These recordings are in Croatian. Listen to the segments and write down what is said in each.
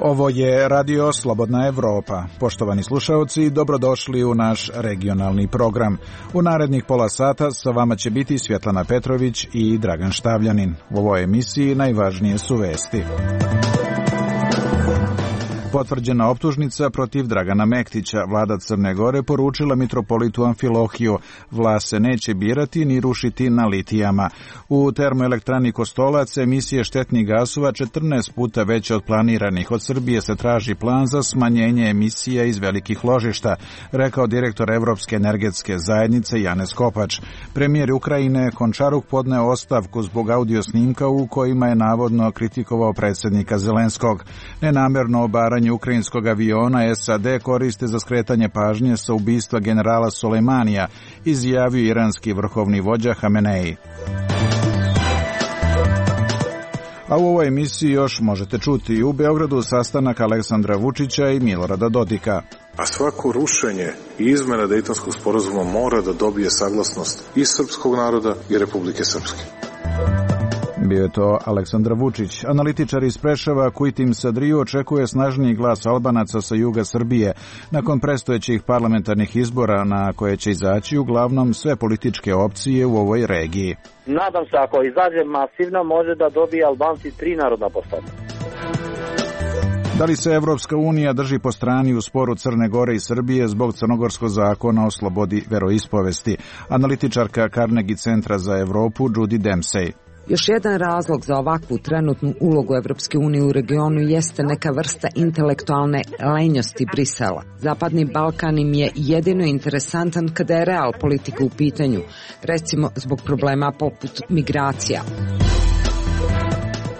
Ovo je Radio Slobodna Evropa. Poštovani slušaoci, dobrodošli u naš regionalni program. U narednih pola sata sa vama će biti Svjetlana Petrović i Dragan Štavljanin. U ovoj emisiji najvažnije su vesti. Potvrđena optužnica protiv Dragana Mektića. Vlada Crne Gore poručila mitropolitu Amfilohiju: vlast se neće birati ni rušiti na litijama. U termoelektrani Kostolac emisije štetnih gasova 14 puta veće od planiranih. Od Srbije se traži plan za smanjenje emisija iz velikih ložišta, rekao direktor Evropske energetske zajednice Janez Kopač. Premijer Ukrajine Končaruk podneo ostavku zbog audio snimka u kojima je navodno kritikovao predsjednika Zelenskog. Nenamerno obaranje ukrajinskog aviona SAD koriste za skretanje pažnje sa ubistva generala Sulejmanija, izjavio iranski vrhovni vođa Hamenei. A u ovoj emisiji još možete čuti u Beogradu sastanak Aleksandra Vučića i Milorada Dodika. A svako rušenje i izmena Dejtonskog sporazuma mora da dobije saglasnost i srpskog naroda i Republike Srpske. Bio je to Aleksandar Vučić. Analitičar iz Preševa Kujtim Sadriju očekuje snažniji glas Albanaca sa juga Srbije nakon predstojećih parlamentarnih izbora na koje će izaći uglavnom sve političke opcije u ovoj regiji. Nadam se ako izađe masivno može da dobije Albanci 3 narodna poslanika. Da li se Evropska unija drži po strani u sporu Crne Gore i Srbije zbog crnogorskog zakona o slobodi veroispovesti? Analitičarka Carnegie centra za Evropu Judy Dempsey. Još jedan razlog za ovakvu trenutnu ulogu Evropske unije u regionu jeste neka vrsta intelektualne lenjosti Brisela. Zapadni Balkan im je jedino interesantan kada je real politika u pitanju, recimo zbog problema poput migracija.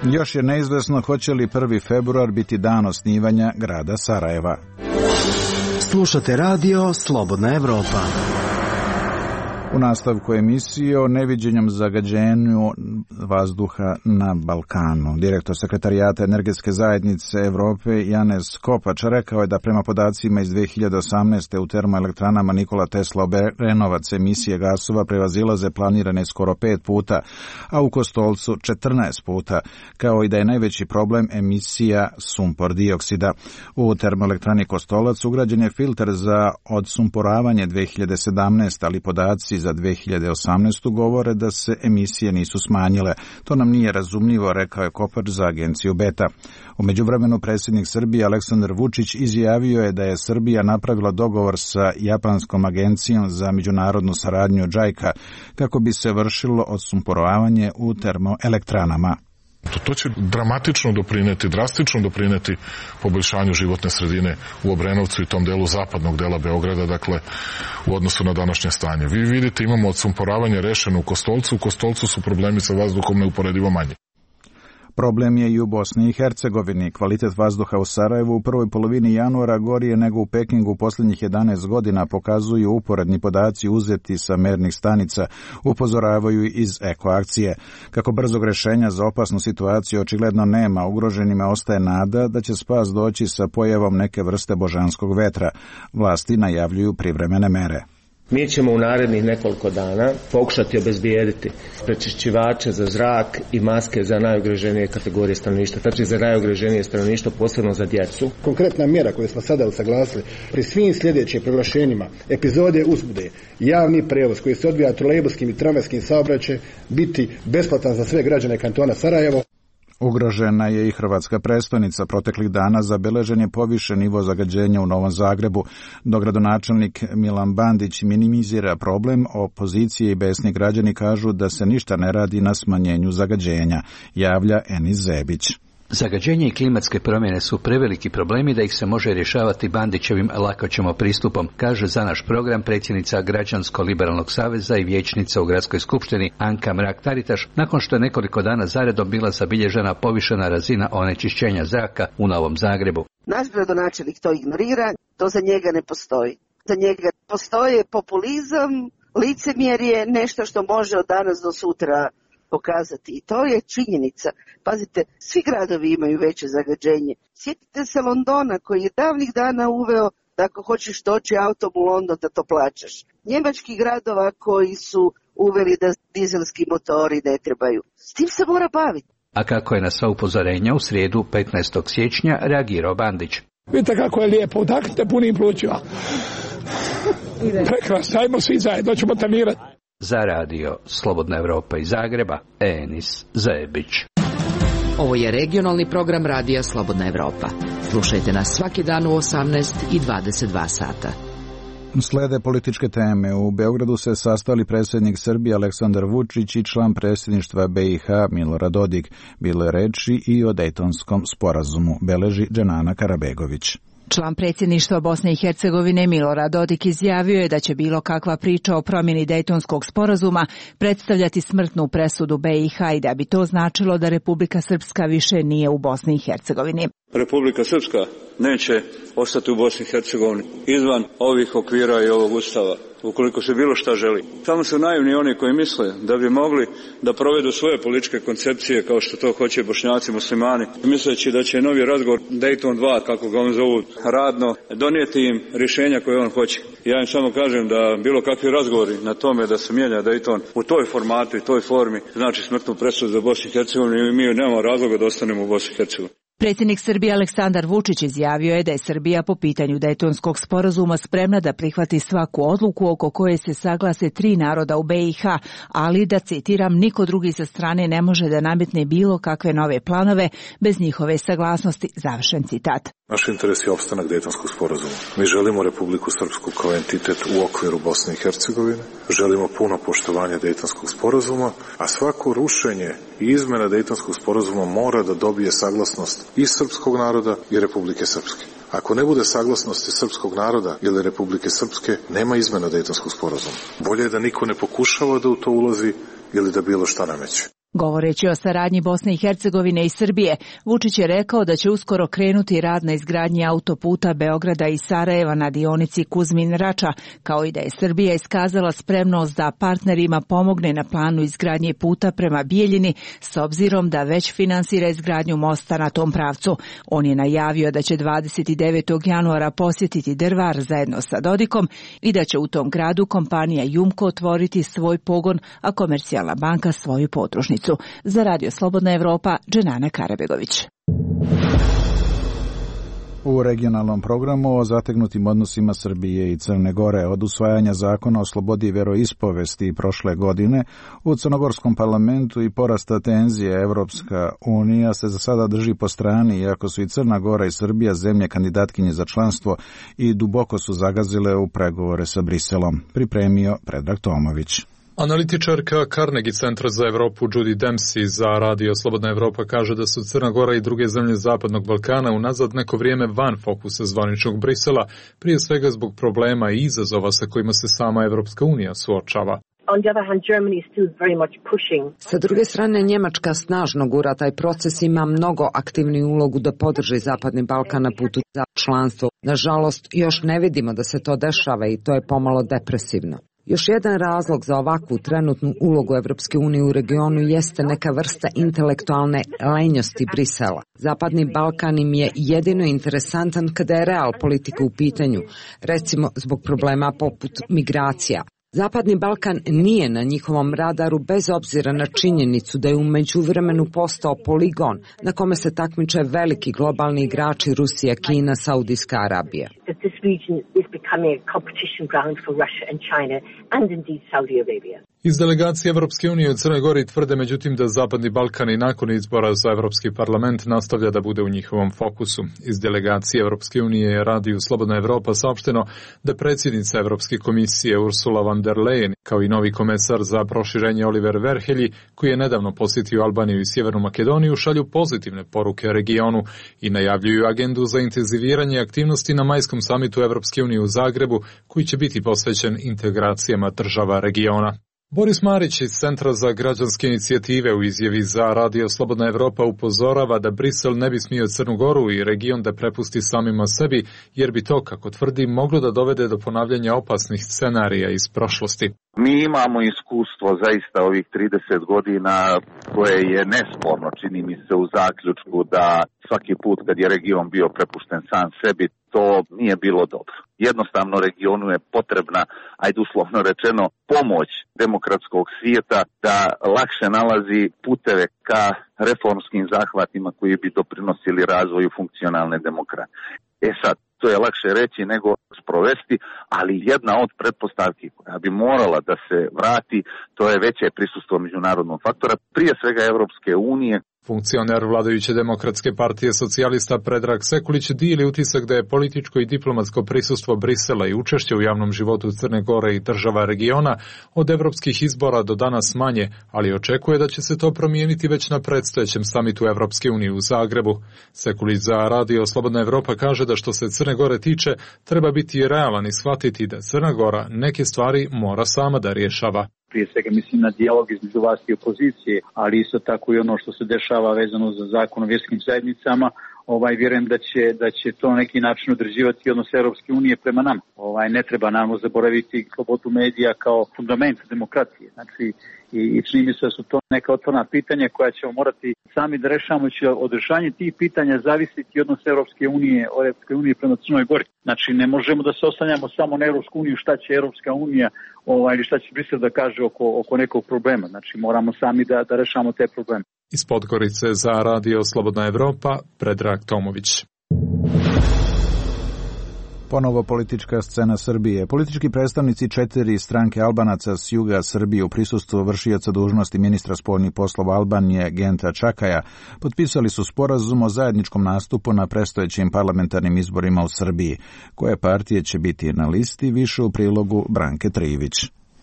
Još je neizvesno hoće li 1. februar biti dan osnivanja grada Sarajeva. Slušate Radio Slobodna Evropa. U nastavku emisije o neviđenom zagađenju vazduha na Balkanu. Direktor Sekretarijata Energetske zajednice Evrope Janez Kopač rekao je da prema podacima iz 2018. u termoelektranama Nikola Tesla Obrenovac emisije gasova prevazilaze planirane skoro 5 puta, a u Kostolcu 14 puta, kao i da je najveći problem emisija sumpor dioksida. U termoelektrani Kostolac ugrađen je filter za odsumporavanje 2017, ali podaci za 2018. govore da se emisije nisu smanjile. To nam nije razumljivo, rekao je Kopač za agenciju Beta. U međuvremenu predsjednik Srbije Aleksandar Vučić izjavio je da je Srbija napravila dogovor sa japanskom agencijom za međunarodnu saradnju JICA kako bi se vršilo odsumporavanje u termoelektranama. To će dramatično doprineti, drastično doprineti poboljšanju životne sredine u Obrenovcu i tom delu zapadnog dela Beograda, dakle u odnosu na današnje stanje. Vi vidite, imamo odsumporavanje rešeno u Kostolcu su problemi sa vazduhom neuporedivo manji. Problem je i u Bosni i Hercegovini. Kvalitet vazduha u Sarajevu u prvoj polovini januara gori je nego u Pekingu u posljednjih 11 godina, pokazuju uporedni podaci uzeti sa mernih stanica, upozoravaju iz ekoakcije. Kako brzog rješenja za opasnu situaciju očigledno nema, ugroženima ostaje nada da će spas doći sa pojavom neke vrste božanskog vetra. Vlasti najavljuju privremene mere. Mi ćemo u narednih nekoliko dana pokušati obezbijediti prečišćivače za zrak i maske za najugroženije kategorije stanovništva, znači za najugroženije stanovništvo, posebno za djecu. Konkretna mjera koju smo sada usaglasili pri svim sljedećim proglašenjima epizode uzbude, javni prevoz koji se odvija trolejbuskim i tramvajskim saobraćajem biti besplatan za sve građane kantona Sarajevo. Ugrožena je i hrvatska prestolnica. Proteklih dana zabeležen je povišen nivo zagađenja u Novom Zagrebu. Dok gradonačelnik Milan Bandić minimizira problem, opozicije i besni građani kažu da se ništa ne radi na smanjenju zagađenja, javlja Enis Zebić. Zagađenje i klimatske promjene su preveliki problemi da ih se može rješavati Bandićevim lakoćemo pristupom, kaže za naš program predsjednica Građansko-liberalnog saveza i vijećnica u Gradskoj skupštini Anka Mrak-Taritaš, nakon što je nekoliko dana zaredom bila zabilježena povišena razina onečišćenja zraka u Novom Zagrebu. Naš gradonačelnik to ignorira, to za njega ne postoji. Za njega postoji populizam, licemjerje, nešto što može od danas do sutra pokazati. I to je činjenica. Pazite, svi gradovi imaju veće zagađenje. Sjetite se Londona koji je davnih dana uveo da ako hoćeš doći autom u London da to plaćaš. Njemačkih gradova koji su uveli da dizelski motori ne trebaju. S tim se mora baviti. A kako je na sva upozorenja u srijedu 15. siječnja reagirao Bandić? Vidite kako je lijepo, udahnite punim plućima. Prekrasno, ajmo svi zajedno, ćemo trenirati. Za radio Slobodna Evropa iz Zagreba, Enis Zajebić. Ovo je regionalni program radija Slobodna Evropa. Slušajte nas svaki dan u 18 i 22 sata. Slede političke teme. U Beogradu se sastali predsjednik Srbije Aleksandar Vučić i član predsjedništva BiH Milorad Dodik. Bilo je reči i o Dejtonskom sporazumu, beleži Dženana Karabegović. Član predsjedništva Bosne i Hercegovine Milorad Dodik izjavio je da će bilo kakva priča o promjeni Dejtonskog sporazuma predstavljati smrtnu presudu BiH i da bi to značilo da Republika Srpska više nije u Bosni i Hercegovini. Republika Srpska neće ostati u Bosni i Hercegovini izvan ovih okvira i ovog ustava, ukoliko se bilo šta želi. Samo su naivni oni koji misle da bi mogli da provedu svoje političke koncepcije kao što to hoće Bošnjaci muslimani, misleći da će novi razgovor Dayton 2, kako ga on zovu radno, donijeti im rješenja koje on hoće. Ja im samo kažem da bilo kakvi razgovori na tome da se mijenja Dayton u toj formatu i toj formi znači smrtnu presudu za Bosnu i Hercegovinu i mi nemamo razloga da ostanemo u Bosni i Hercegovini. Predsjednik Srbije Aleksandar Vučić izjavio je da je Srbija po pitanju Dejtonskog sporazuma spremna da prihvati svaku odluku oko koje se saglase 3 naroda u BiH, ali da, citiram, niko drugi sa strane ne može da nametne bilo kakve nove planove bez njihove saglasnosti, završen citat. Naš interes je opstanak Dejtonskog sporazuma. Mi želimo Republiku Srpsku kao entitet u okviru Bosne i Hercegovine, želimo puno poštovanje Dejtonskog sporazuma, a svako rušenje i izmjena Dejtonskog sporazuma mora da dobije saglasnost i srpskog naroda i Republike Srpske. Ako ne bude saglasnosti srpskog naroda ili Republike Srpske, nema izmjena Dejtonskog sporazuma. Bolje je da niko ne pokušava da u to ulazi ili da bilo šta nameće. Govoreći o saradnji Bosne i Hercegovine i Srbije, Vučić je rekao da će uskoro krenuti rad na izgradnji autoputa Beograda i Sarajeva na dionici Kuzmin-Rača, kao i da je Srbija iskazala spremnost da partnerima pomogne na planu izgradnje puta prema Bijeljini, s obzirom da već finansira izgradnju mosta na tom pravcu. On je najavio da će 29. januara posjetiti Drvar zajedno sa Dodikom i da će u tom gradu kompanija Jumko otvoriti svoj pogon, a Komercijalna banka svoju podružnicu. Za radio Slobodna Evropa, Dženana Karabegović. U regionalnom programu o zategnutim odnosima Srbije i Crne Gore od usvajanja zakona o slobodi veroispovesti prošle godine u crnogorskom parlamentu i porasta tenzije Evropska unija se za sada drži po strani, iako su i Crna Gora i Srbija zemlje kandidatkinje za članstvo i duboko su zagazile u pregovore sa Briselom. Pripremio Predrag Tomović. Analitičarka Carnegie centra za Evropu Judy Dempsey za radio Slobodna Evropa kaže da su Crna Gora i druge zemlje Zapadnog Balkana unazad neko vrijeme van fokusa zvaničnog Brisela, prije svega zbog problema i izazova sa kojima se sama Evropska unija suočava. Sa druge strane, Njemačka snažno gura taj proces, ima mnogo aktivniju ulogu da podrži Zapadni Balkan na putu za članstvo. Nažalost, još ne vidimo da se to dešava i to je pomalo depresivno. Još jedan razlog za ovakvu trenutnu ulogu Evropske unije u regionu jeste neka vrsta intelektualne lenjosti Brisela. Zapadni Balkan im je jedino interesantan kada je real politika u pitanju, recimo zbog problema poput migracija. Zapadni Balkan nije na njihovom radaru bez obzira na činjenicu da je u međuvremenu postao poligon na kome se takmiče veliki globalni igrači Rusija, Kina, Saudijska Arabija. Iz delegacije Evropske unije u Crnoj Gori tvrde međutim da Zapadni Balkan i nakon izbora za Evropski parlament nastavlja da bude u njihovom fokusu. Iz delegacije Evropske unije je radiju Slobodna Evropa saopšteno da predsjednica Evropske komisije Ursula von der Leyen, kao i novi komesar za proširenje Oliver Verhelyi, koji je nedavno posjetio Albaniju i Sjevernu Makedoniju, šalju pozitivne poruke regionu i najavljuju agendu za intenziviranje aktivnosti na majskom samitu Evropske unije u Zagrebu, koji će biti posvećen integracijama država regiona. Boris Marić iz Centra za građanske inicijative u izjavi za radio Slobodna Evropa upozorava da Brisel ne bi smio Crnu Goru i region da prepusti samima sebi, jer bi to, kako tvrdi, moglo da dovede do ponavljanja opasnih scenarija iz prošlosti. Mi imamo iskustvo zaista ovih 30 godina koje je nesporno, čini mi se, u zaključku da svaki put kad je region bio prepušten sam sebi, to nije bilo dobro. Jednostavno regionu je potrebna, ajde uslovno rečeno, pomoć demokratskog svijeta da lakše nalazi puteve ka reformskim zahvatima koji bi doprinosili razvoju funkcionalne demokratije. Sad, to je lakše reći nego sprovesti, ali jedna od pretpostavki koja bi morala da se vrati, to je veće prisustvo međunarodnog faktora, prije svega Evropske unije. Funkcioner vladajuće demokratske partije socijalista Predrag Sekulić dijeli utisak da je političko i diplomatsko prisustvo Brisela i učešće u javnom životu Crne Gore i država regiona od evropskih izbora do danas manje, ali očekuje da će se to promijeniti već na predstojećem samitu Evropske unije u Zagrebu. Sekulić za Radio Slobodna Evropa kaže da što se Crne Gore tiče, treba biti realan i shvatiti da Crna Gora neke stvari mora sama da rješava. Prije svega mislim na dijalog između vlasti i opozicije, ali isto tako i ono što se dešava vezano za zakon o vjerskim zajednicama. Vjerujem da će to na neki način određivati odnos Europske unije prema nama. Ne treba naravno zaboraviti slobodu medija kao fundament demokracije. Znači, i čini mi se da su to neka otvorena pitanja koja ćemo morati sami da rešavamo. Od rešanja tih pitanja zavisiti odnos Europske unije prema Crnoj Gori. Znači, ne možemo da se oslanjamo samo na Europsku uniju, šta će Europska unija ili šta će Brisel da kaže oko nekog problema. Znači, moramo sami da rešavamo te probleme. Iz Podgorice za Radio Slobodna Evropa, Predrag Tomović. Ponovo politička scena Srbije. Politički predstavnici 4 stranke Albanaca s juga Srbije u prisustvu vršioca dužnosti ministra spoljnih poslova Albanije Genta Čakaja potpisali su sporazum o zajedničkom nastupu na predstojećim parlamentarnim izborima u Srbiji. Koje partije će biti na listi, više u prilogu Branke Trivić.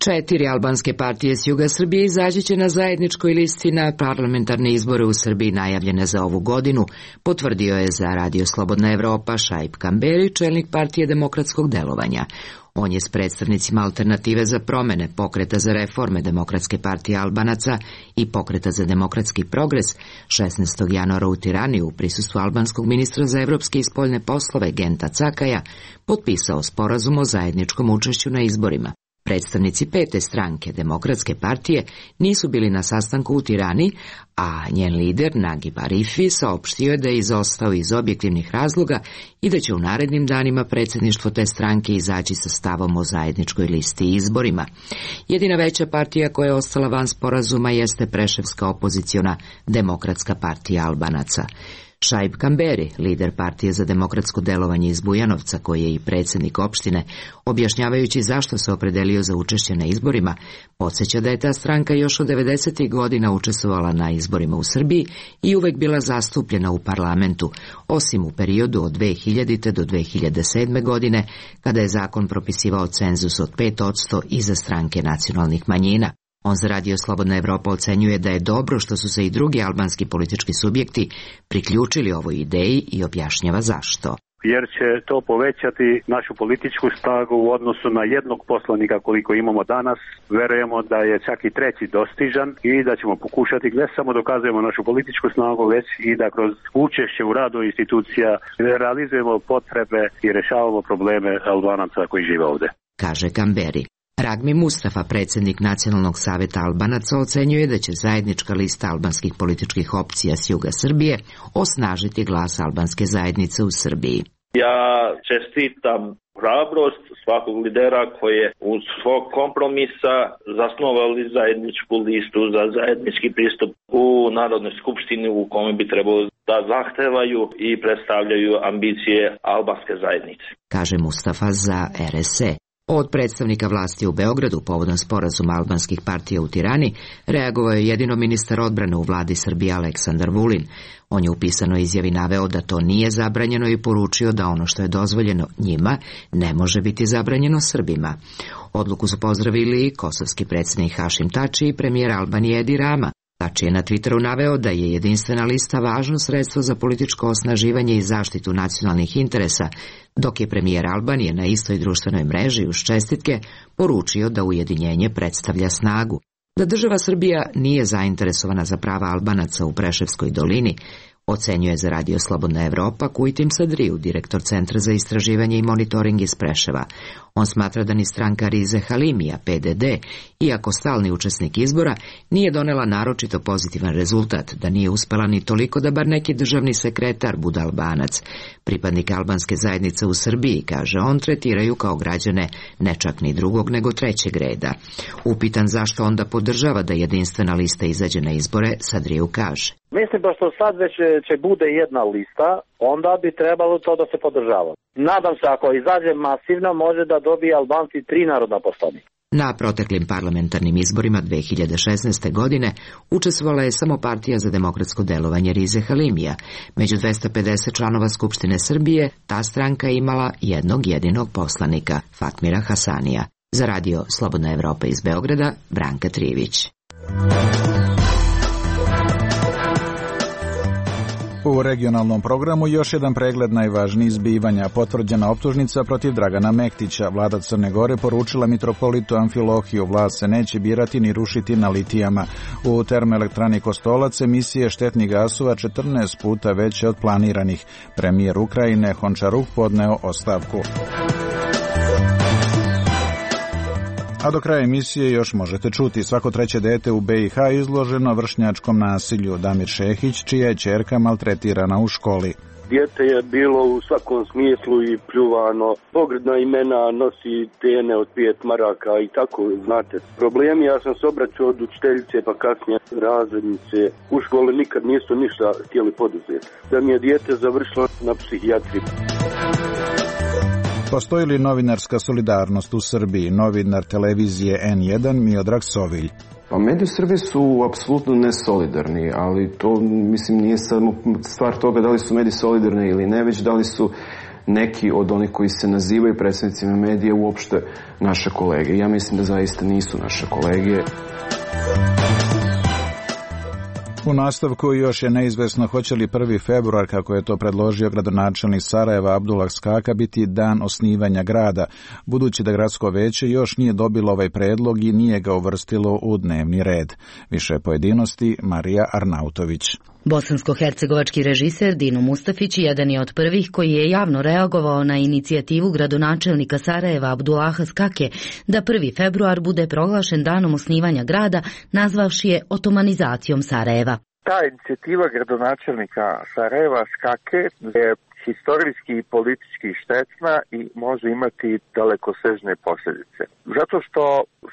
4 albanske partije s juga Srbije izaći će na zajedničkoj listi na parlamentarne izbore u Srbiji najavljene za ovu godinu, potvrdio je za Radio Slobodna Evropa Šaip Kamberi, čelnik partije demokratskog delovanja. On je s predstavnicima Alternative za promene, Pokreta za reforme Demokratske partije Albanaca i Pokreta za demokratski progres 16. januara u Tirani u prisustvu albanskog ministra za evropske i spoljne poslove Genta Cakaja potpisao sporazum o zajedničkom učešću na izborima. Predstavnici 5. stranke Demokratske partije nisu bili na sastanku u Tirani, a njen lider Nagib Arifi saopštio je da je izostao iz objektivnih razloga i da će u narednim danima predsjedništvo te stranke izaći sa stavom o zajedničkoj listi i izborima. Jedina veća partija koja je ostala van sporazuma jeste preševska opoziciona Demokratska partija Albanaca. Šaip Kamberi, lider partije za demokratsko delovanje iz Bujanovca, koji je i predsjednik opštine, objašnjavajući zašto se opredelio za učešće na izborima, podsjeća da je ta stranka još od 90. godina učestvovala na izborima u Srbiji i uvek bila zastupljena u parlamentu, osim u periodu od 2000. do 2007. godine, kada je zakon propisivao cenzus od 5% i za stranke nacionalnih manjina. On za Radio Slobodna Evropa ocenjuje da je dobro što su se i drugi albanski politički subjekti priključili ovoj ideji i objašnjava zašto. Jer će to povećati našu političku snagu u odnosu na jednog poslanika koliko imamo danas. Verujemo da je čak i treći dostižan i da ćemo pokušati ne samo dokazujemo našu političku snagu, već i da kroz učešće u radu institucija realizujemo potrebe i rešavamo probleme Albanaca koji žive ovde. Kaže Kamberi. Ragmi Mustafa, predsjednik Nacionalnog savjeta Albanaca, ocenjuje da će zajednička lista albanskih političkih opcija s juga Srbije osnažiti glas albanske zajednice u Srbiji. Ja čestitam hrabrost svakog lidera koji je uz svog kompromisa zasnovali zajedničku listu za zajednički pristup u Narodnoj skupštini u kome bi trebalo da zahtevaju i predstavljaju ambicije albanske zajednice. Kaže Mustafa za RSE. Od predstavnika vlasti u Beogradu povodom sporazuma albanskih partija u Tirani reagovao je jedino ministar odbrane u vladi Srbije Aleksandar Vulin. On je u pisanoj izjavi naveo da to nije zabranjeno i poručio da ono što je dozvoljeno njima ne može biti zabranjeno Srbima. Odluku su pozdravili i kosovski predsjednik Hašim Tači i premijer Albanije Edi Rama. Tači je na Twitteru naveo da je jedinstvena lista važno sredstvo za političko osnaživanje i zaštitu nacionalnih interesa, dok je premijer Albanije na istoj društvenoj mreži uz čestitke poručio da ujedinjenje predstavlja snagu. Da država Srbija nije zainteresovana za prava Albanaca u Preševskoj dolini, Ocenjuje za Radio Slobodna Evropa Kujtim Sadriju, direktor Centra za istraživanje i monitoring iz Preševa. On smatra da ni stranka Rize Halimija, PDD, iako stalni učesnik izbora, nije donela naročito pozitivan rezultat, da nije uspela ni toliko da bar neki državni sekretar bude Albanac. Pripadnik albanske zajednice u Srbiji, kaže on, tretiraju kao građane ne čak ni drugog nego trećeg reda. Upitan zašto onda podržava da jedinstvena lista izađe na izbore, Sadriju kaže: Mislim da što sad već će bude jedna lista, onda bi trebalo to da se podržava. Nadam se ako izađe masivno može da dobije Albanci 3 narodna poslanika. Na proteklim parlamentarnim izborima 2016. godine učestvovala je samo Partija za demokratsko delovanje Rize Halimija. Među 250 članova Skupštine Srbije ta stranka je imala jednog jedinog poslanika, Fatmira Hasanija. Za Radio Slobodna Evropa iz Beograda, Branka Trivić. U regionalnom programu još jedan pregled najvažnijih zbivanja. Potvrđena optužnica protiv Dragana Mektića. Vlada Crne Gore poručila mitropolitu Amfilohiju, vlast se neće birati ni rušiti na litijama. U termoelektrani Kostolac emisije štetnih gasova 14 puta veće od planiranih. Premijer Ukrajine Hončaruk podneo ostavku. A do kraja emisije još možete čuti: svako treće dete u BiH izloženo vršnjačkom nasilju. Damir Šehić, čija je ćerka maltretirana u školi. Dijete je bilo u svakom smislu i pljuvano. Pogrdna imena, nosi tene od 5 maraka i tako, znate. Problemi, ja sam se obraćao od učiteljice pa kasnije razrednice. U školi nikad nisu ništa htjeli poduzeti. Da mi je dijete završilo na psihijatriji. Postoji li novinarska solidarnost u Srbiji? Novinar televizije N1 Miodrag Sovilj. Pa mediji u Srbiji su apsolutno nesolidarni, ali to, mislim, nije samo stvar toga da li su mediji solidarni ili ne, već da li su neki od onih koji se nazivaju predstavnicima medija uopšte naše kolege. Ja mislim da zaista nisu naše kolege. U nastavku još je neizvesno hoće li 1. februar, kako je to predložio gradonačelnik Sarajeva Abdullah Skaka, biti dan osnivanja grada, budući da gradsko veće još nije dobilo ovaj predlog i nije ga uvrstilo u dnevni red. Više pojedinosti Marija Arnautović. Bosansko-hercegovački režiser Dino Mustafić jedan je od prvih koji je javno reagovao na inicijativu gradonačelnika Sarajeva Abdullaha Skake da 1. februar bude proglašen danom osnivanja grada, nazvavši je otomanizacijom Sarajeva. Ta inicijativa gradonačelnika Sarajeva Skake je historijski i politički štetna i može imati dalekosežne posljedice. Zato što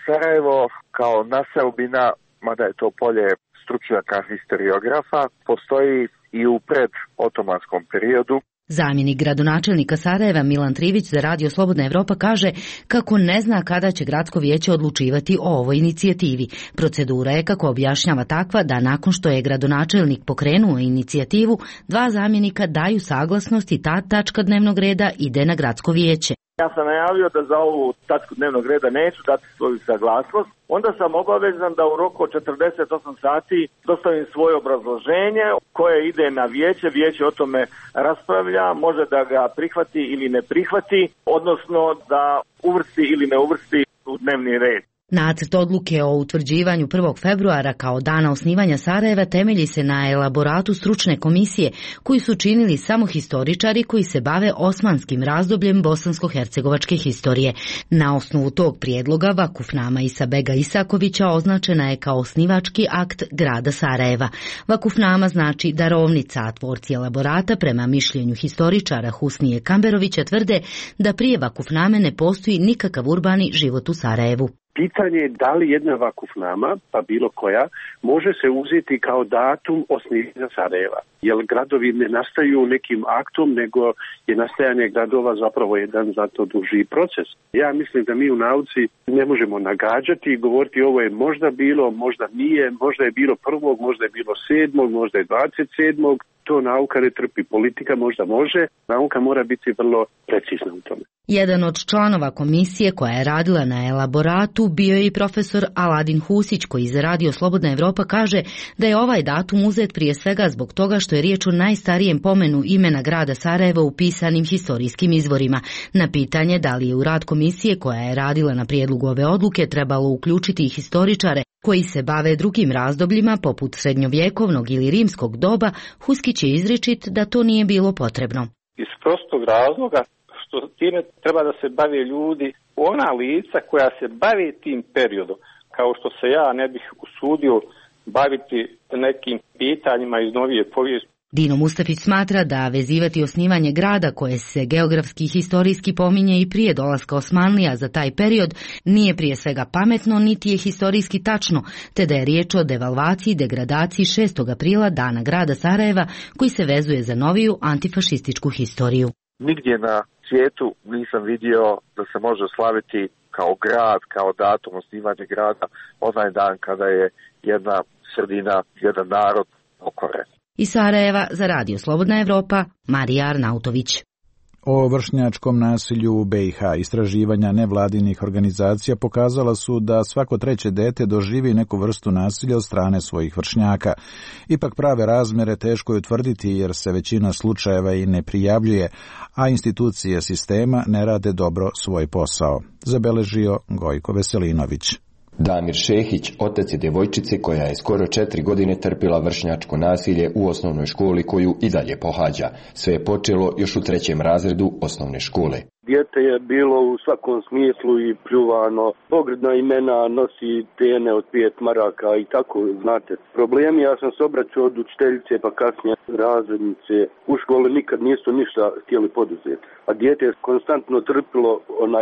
Sarajevo kao naseobina, mada je to polje stručnjaka historiografa, postoji i u predotomanskom periodu. Zamjenik gradonačelnika Sarajeva Milan Trivić za Radio Slobodna Evropa kaže kako ne zna kada će gradsko vijeće odlučivati o ovoj inicijativi. Procedura je, kako objašnjava, takva da nakon što je gradonačelnik pokrenuo inicijativu, 2 zamjenika daju saglasnost i ta tačka dnevnog reda ide na gradsko vijeće. Ja sam najavio da za ovu tačku dnevnog reda neću dati svoju saglasnost. Onda sam obavezan da u roku od 48 sati dostavim svoje obrazloženje koje ide na vijeće. Vijeće o tome raspravlja, može da ga prihvati ili ne prihvati, odnosno da uvrsti ili ne uvrsti u dnevni red. Nacrt odluke o utvrđivanju 1. februara kao dana osnivanja Sarajeva temelji se na elaboratu stručne komisije koji su činili samo historičari koji se bave osmanskim razdobljem bosansko-hercegovačke historije. Na osnovu tog prijedloga Vakufnama Isabega Isakovića označena je kao osnivački akt grada Sarajeva. Vakufnama znači darovnica, a tvorci elaborata prema mišljenju historičara Husnije Kamberovića tvrde da prije Vakufname ne postoji nikakav urbani život u Sarajevu. Pitanje je da li jedna vakufnama, pa bilo koja, može se uzeti kao datum osnivanja Sarajeva. Jer gradovi ne nastaju nekim aktom, nego je nastajanje gradova zapravo jedan zato duži proces. Ja mislim da mi u nauci ne možemo nagađati i govoriti ovo je možda bilo, možda nije, možda je bilo 1., možda je bilo 7., možda je 27. To nauka ne trpi, politika možda može, nauka mora biti vrlo precizna u tome. Jedan od članova komisije koja je radila na elaboratu bio je i profesor Aladin Husić, koji za Radio Slobodna Evropa kaže da je ovaj datum uzet prije svega zbog toga što je riječ o najstarijem pomenu imena grada Sarajeva u pisanim historijskim izvorima. Na pitanje da li je u rad komisije koja je radila na prijedlogu ove odluke trebalo uključiti i historičare koji se bave drugim razdobljima poput srednjovjekovnog ili rimskog doba, Huskić Stafić je izričit da to nije bilo potrebno. Iz prostog razloga što time treba da se bave ljudi, ona lica koja se bave tim periodom, kao što se ja ne bih usudio baviti nekim pitanjima iz novije povijesti. Dino Mustafić smatra da vezivati osnivanje grada koje se geografski i historijski pominje i prije dolaska Osmanlija za taj period nije prije svega pametno niti je historijski tačno, te da je riječ o devalvaciji, degradaciji 6. aprila dana grada Sarajeva koji se vezuje za noviju antifašističku historiju. Nigdje na svijetu nisam vidio da se može slaviti kao grad, kao datum osnivanja grada, onaj dan kada je jedna sredina, jedan narod pokoren. Iz Sarajeva za Radio Slobodna Evropa, Marija Arnautović. O vršnjačkom nasilju u BiH istraživanja nevladinih organizacija pokazala su da svako treće dete doživi neku vrstu nasilja od strane svojih vršnjaka. Ipak prave razmjere teško je utvrditi jer se većina slučajeva i ne prijavljuje, a institucije sistema ne rade dobro svoj posao, zabeležio Gojko Veselinović. Damir Šehić, otac je djevojčice koja je skoro 4 godine trpila vršnjačko nasilje u osnovnoj školi koju i dalje pohađa. Sve je počelo još u 3. razredu osnovne škole. Dijete je bilo u svakom smislu i pljuvano, pogrdna imena, nosi tene od 5 maraka i tako, znate. Problemi, ja sam se obraćao od učiteljice pa kasnije razrednice. U školi nikad nisu ništa htjeli poduzeti. A dijete je konstantno trpilo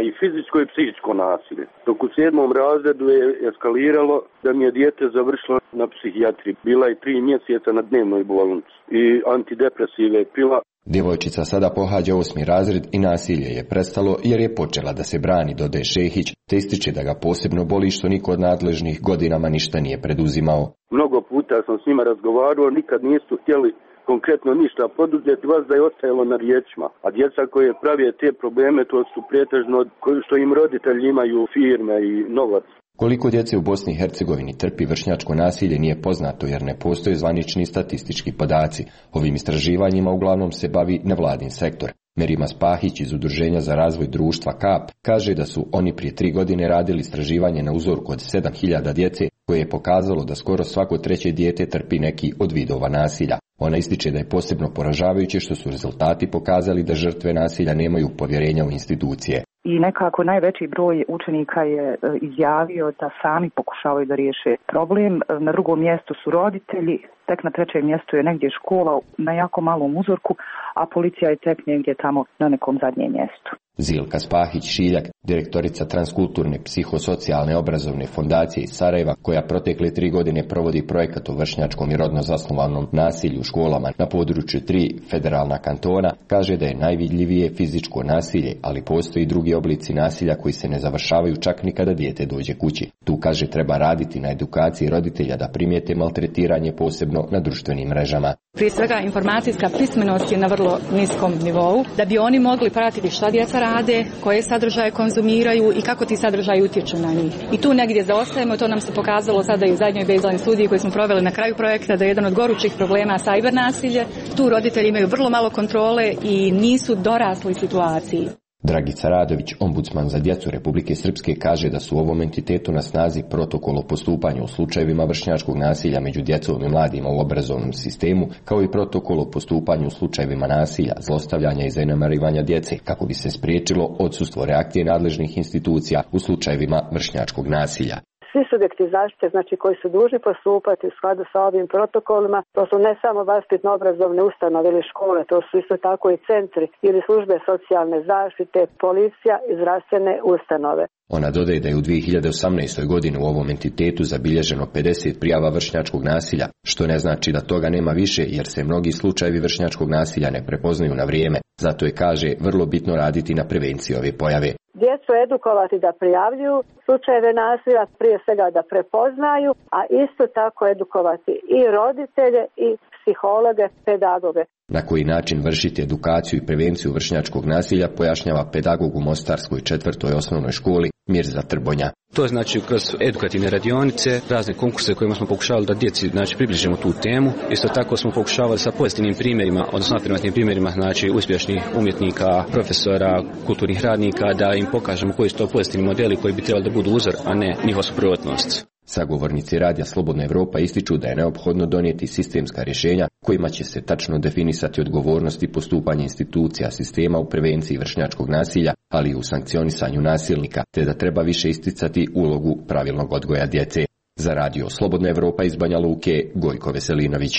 i fizičko i psihičko nasilje. Dok u 7. razredu je eskaliralo da mi je dijete završilo na psihijatriji. Bila je 3 mjeseca na dnevnoj bolnici i antidepresive pila. Djevojčica sada pohađa 8. razred i nasilje je prestalo jer je počela da se brani, dodaje Šehić, te ističe da ga posebno boli što niko od nadležnih godinama ništa nije preduzimao. Mnogo puta sam s njima razgovarao, nikad nisu htjeli konkretno ništa poduzeti, vas da je ostajalo na riječima. A djeca koje prave te probleme, to su pretežno što im roditelji imaju firme i novac. Koliko djece u Bosni i Hercegovini trpi vršnjačko nasilje nije poznato jer ne postoje zvanični statistički podaci. Ovim istraživanjima uglavnom se bavi nevladin sektor. Merima Spahić iz Udruženja za razvoj društva KAP kaže da su oni prije 3 godine radili istraživanje na uzorku od 7.000 djece koje je pokazalo da skoro svako 3. dijete trpi neki od vidova nasilja. Ona ističe da je posebno poražavajuće što su rezultati pokazali da žrtve nasilja nemaju povjerenja u institucije. I nekako najveći broj učenika je izjavio da sami pokušavaju da riješe problem. Na 2. mjestu su roditelji, tek na 3. mjestu je negdje škola na jako malom uzorku, a policija je tek negdje tamo na nekom zadnjem mjestu. Zilka Spahić-Šiljak, direktorica Transkulturne psihosocijalne obrazovne fondacije iz Sarajeva, koja protekle 3 godine provodi projekat o vršnjačkom i rodno zasnovanom nasilju u školama na području 3 federalna kantona, kaže da je najvidljivije fizičko nasilje, ali postoji drugi oblici nasilja koji se ne završavaju čak ni kada dijete dođe kući. Tu, kaže, treba raditi na edukaciji roditelja da primijete maltretiranje posebno na društvenim mrežama. Prije svega informacijska pismenost je na vrlo niskom nivou, da bi oni mogli pratiti šta djeca rade, koje sadržaje konzumiraju i kako ti sadržaji utječu na njih. I tu negdje zaostajemo, to nam se pokazalo sada i u zadnjoj baseline studiji koju smo proveli na kraju projekta, da je jedan od gorućih problema cyber nasilje. Tu roditelji imaju vrlo malo kontrole i nisu dorasli situaciji. Dragica Radović, ombudsman za djecu Republike Srpske, kaže da su u ovom entitetu na snazi protokol o postupanju u slučajevima vršnjačkog nasilja među djecom i mladima u obrazovnom sistemu, kao i protokol o postupanju u slučajevima nasilja, zlostavljanja i zanemarivanja djece, kako bi se spriječilo odsustvo reakcije nadležnih institucija u slučajevima vršnjačkog nasilja. Svi subjekti zaštite, znači koji su dužni postupati u skladu sa ovim protokolima, to su ne samo vaspitno-obrazovne ustanove ili škole, to su isto tako i centri ili službe socijalne zaštite, policija i zdravstvene ustanove. Ona dodaje da je u 2018. godini u ovom entitetu zabilježeno 50 prijava vršnjačkog nasilja, što ne znači da toga nema više jer se mnogi slučajevi vršnjačkog nasilja ne prepoznaju na vrijeme. Zato je, kaže, vrlo bitno raditi na prevenciji ove pojave. Djecu edukovati da prijavljuju slučajeve nasilja, prije svega da prepoznaju, a isto tako edukovati i roditelje i psihologe, pedagoge. Na koji način vršiti edukaciju i prevenciju vršnjačkog nasilja pojašnjava pedagog u Mostarskoj 4. osnovnoj školi Mirza Trbonja. To je znači kroz edukativne radionice, razne konkurse kojima smo pokušavali da djeci približimo tu temu. Isto tako smo pokušavali sa pozitivnim primjerima, odnosno afirmativnim primjerima uspješnih umjetnika, profesora, kulturnih radnika, da im pokažemo koji su to pozitivni modeli koji bi trebali da budu uzor, a ne njihova suprotnost. Sagovornici Radija Slobodna Evropa ističu da je neophodno donijeti sistemska rješenja kojima će se tačno definisati odgovornost i postupanje institucija sistema u prevenciji vršnjačkog nasilja, ali i u sankcionisanju nasilnika, te da treba više isticati ulogu pravilnog odgoja djece. Za Radio Slobodna Evropa iz Banja Luke, Gojko Veselinović.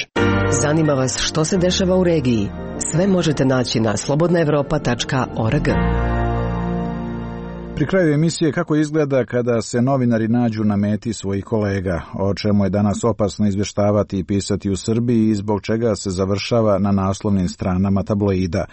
Zanima vas što se dešava u regiji? Sve možete naći na slobodnaevropa.org. Pri kraju emisije kako izgleda kada se novinari nađu na meti svojih kolega, o čemu je danas opasno izvještavati i pisati u Srbiji i zbog čega se završava na naslovnim stranama tabloida.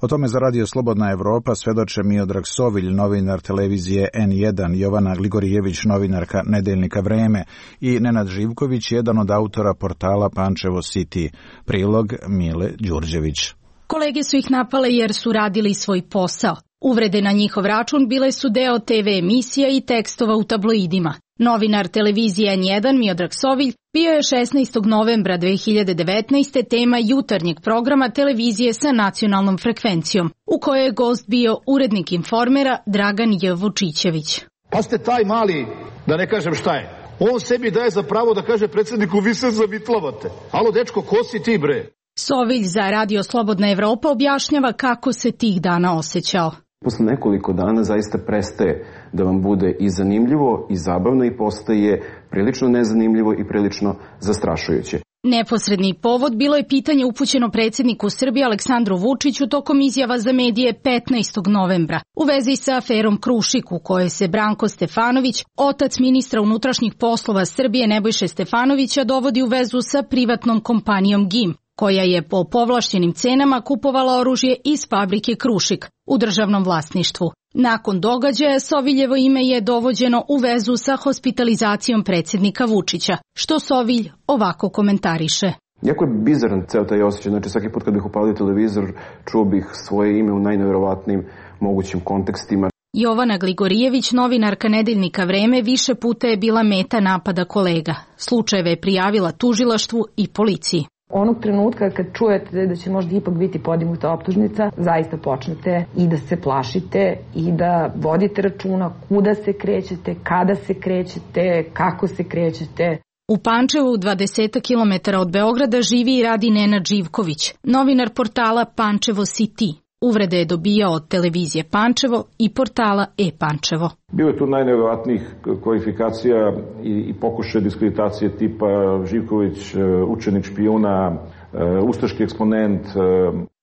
O tome za Radio Slobodna Evropa svedoče Miodrag Sovilj, novinar televizije N1, Jovana Gligorijević, novinarka nedeljnika Vreme i Nenad Živković, jedan od autora portala Pančevo City. Prilog Mile Đurđević. Kolege su ih napale jer su radili svoj posao. Uvrede na njihov račun bile su deo TV emisija i tekstova u tabloidima. Novinar televizije N1 Miodrag Sovilj bio je 16. novembra 2019. tema jutarnjeg programa televizije sa nacionalnom frekvencijom, u kojoj je gost bio urednik Informera Dragan J. Vučićević. Pa ste taj mali, da ne kažem šta je, on sebi daje za pravo da kaže predsjedniku vi se zavitlavate. Alo dečko, ko si ti bre? Sovilj za Radio Slobodna Evropa objašnjava kako se tih dana osjećao. Posle nekoliko dana zaista prestaje da vam bude i zanimljivo i zabavno i postaje prilično nezanimljivo i prilično zastrašujuće. Neposredni povod bilo je pitanje upućeno predsjedniku Srbije Aleksandru Vučiću tokom izjava za medije 15. novembra u vezi sa aferom Krušik, u kojoj se Branko Stefanović, otac ministra unutrašnjih poslova Srbije Nebojše Stefanovića, dovodi u vezu sa privatnom kompanijom GIM, koja je po povlašćenim cenama kupovala oružje iz fabrike Krušik u državnom vlasništvu. Nakon događaja Soviljevo ime je dovođeno u vezu sa hospitalizacijom predsjednika Vučića, što Sovilj ovako komentariše. Jako je bizaran ceo taj osjećaj, znači svaki put kad bih upalio televizor čuo bih svoje ime u najnevjerovatnijim mogućim kontekstima. Jovana Gligorijević, novinarka nedeljnika Vreme, više puta je bila meta napada kolega. Slučajeve je prijavila tužilaštvu i policiji. Onog trenutka kad čujete da će možda ipak biti podignuta optužnica, zaista počnete i da se plašite i da vodite računa kuda se krećete, kada se krećete, kako se krećete. U Pančevu, 20 km od Beograda, živi i radi Nenad Živković, novinar portala Pančevo City. Uvrede je dobijao od televizije Pančevo i portala E-Pančevo. Bilo je tu najnevjerovatnijih kvalifikacija i pokušaja diskreditacije tipa Živković, učenik špijuna, ustaški eksponent.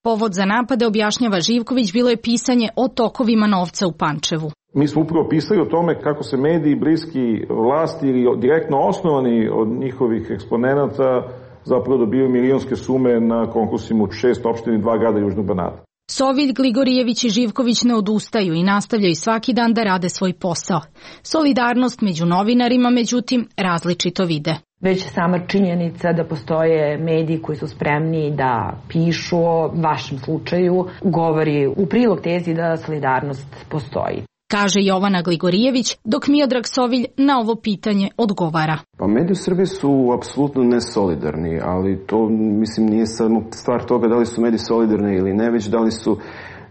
Povod za napade, objašnjava Živković, bilo je pisanje o tokovima novca u Pančevu. Mi smo upravo pisali o tome kako se mediji bliski vlasti ili direktno osnovani od njihovih eksponenata zapravo dobiju milionske sume na konkursima u 6 opština i 2 grada Južnog Banata. Sovilj, Gligorijević i Živković ne odustaju i nastavljaju svaki dan da rade svoj posao. Solidarnost među novinarima, međutim, različito vide. Već sama činjenica da postoje mediji koji su spremni da pišu o vašem slučaju govori u prilog tezi da solidarnost postoji, kaže Jovana Gligorijević, dok Miodrag Sovilj na ovo pitanje odgovara. Pa mediji u Srbiji su apsolutno nesolidarni, ali to mislim nije samo stvar toga da li su mediji solidarni ili ne, već da li su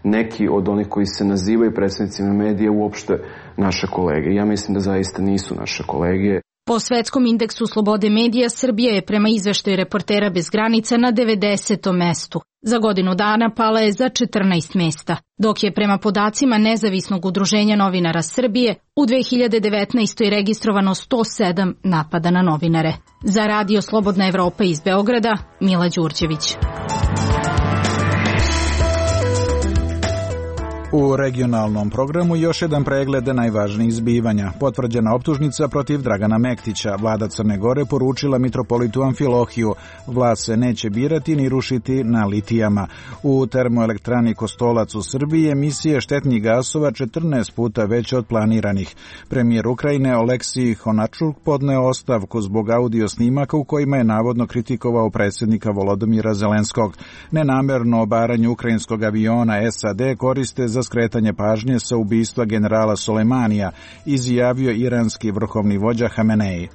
neki od onih koji se nazivaju predsjednicima medija uopšte naše kolege. Ja mislim da zaista nisu naše kolege. Po svetskom indeksu slobode medija, Srbija je prema izveštaju Reportera bez granica na 90. mestu. Za godinu dana pala je za 14 mesta, dok je prema podacima Nezavisnog udruženja novinara Srbije u 2019. registrovano 107 napada na novinare. Za Radio Slobodna Evropa iz Beograda, Mila Đurđević. U regionalnom programu još jedan pregled najvažnijih zbivanja. Potvrđena optužnica protiv Dragana Mektića. Vlada Crne Gore poručila mitropolitu Amfilohiju. Vlast se neće birati ni rušiti na litijama. U termoelektrani Kostolac u Srbiji emisije štetnih gasova 14 puta veće od planiranih. Premijer Ukrajine Oleksij Honačuk podneo ostavku zbog audio snimaka u kojima je navodno kritikovao predsjednika Volodymyra Zelenskog. Nenamerno obaranje ukrajinskog aviona SAD koriste za skretanje pažnje sa ubistva generala Soleimanija, izjavio iranski vrhovni vođa Hamenei.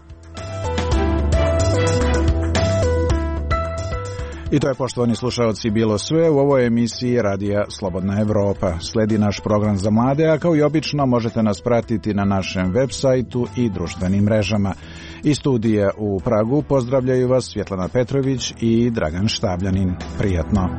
I to je, poštovani slušaoci, bilo sve u ovoj emisiji Radija Slobodna Evropa. Sledi naš program za mlade, a kao i obično možete nas pratiti na našem web sajtu i društvenim mrežama. Iz studija u Pragu pozdravljaju vas Svjetlana Petrović i Dragan Štabljanin. Prijatno.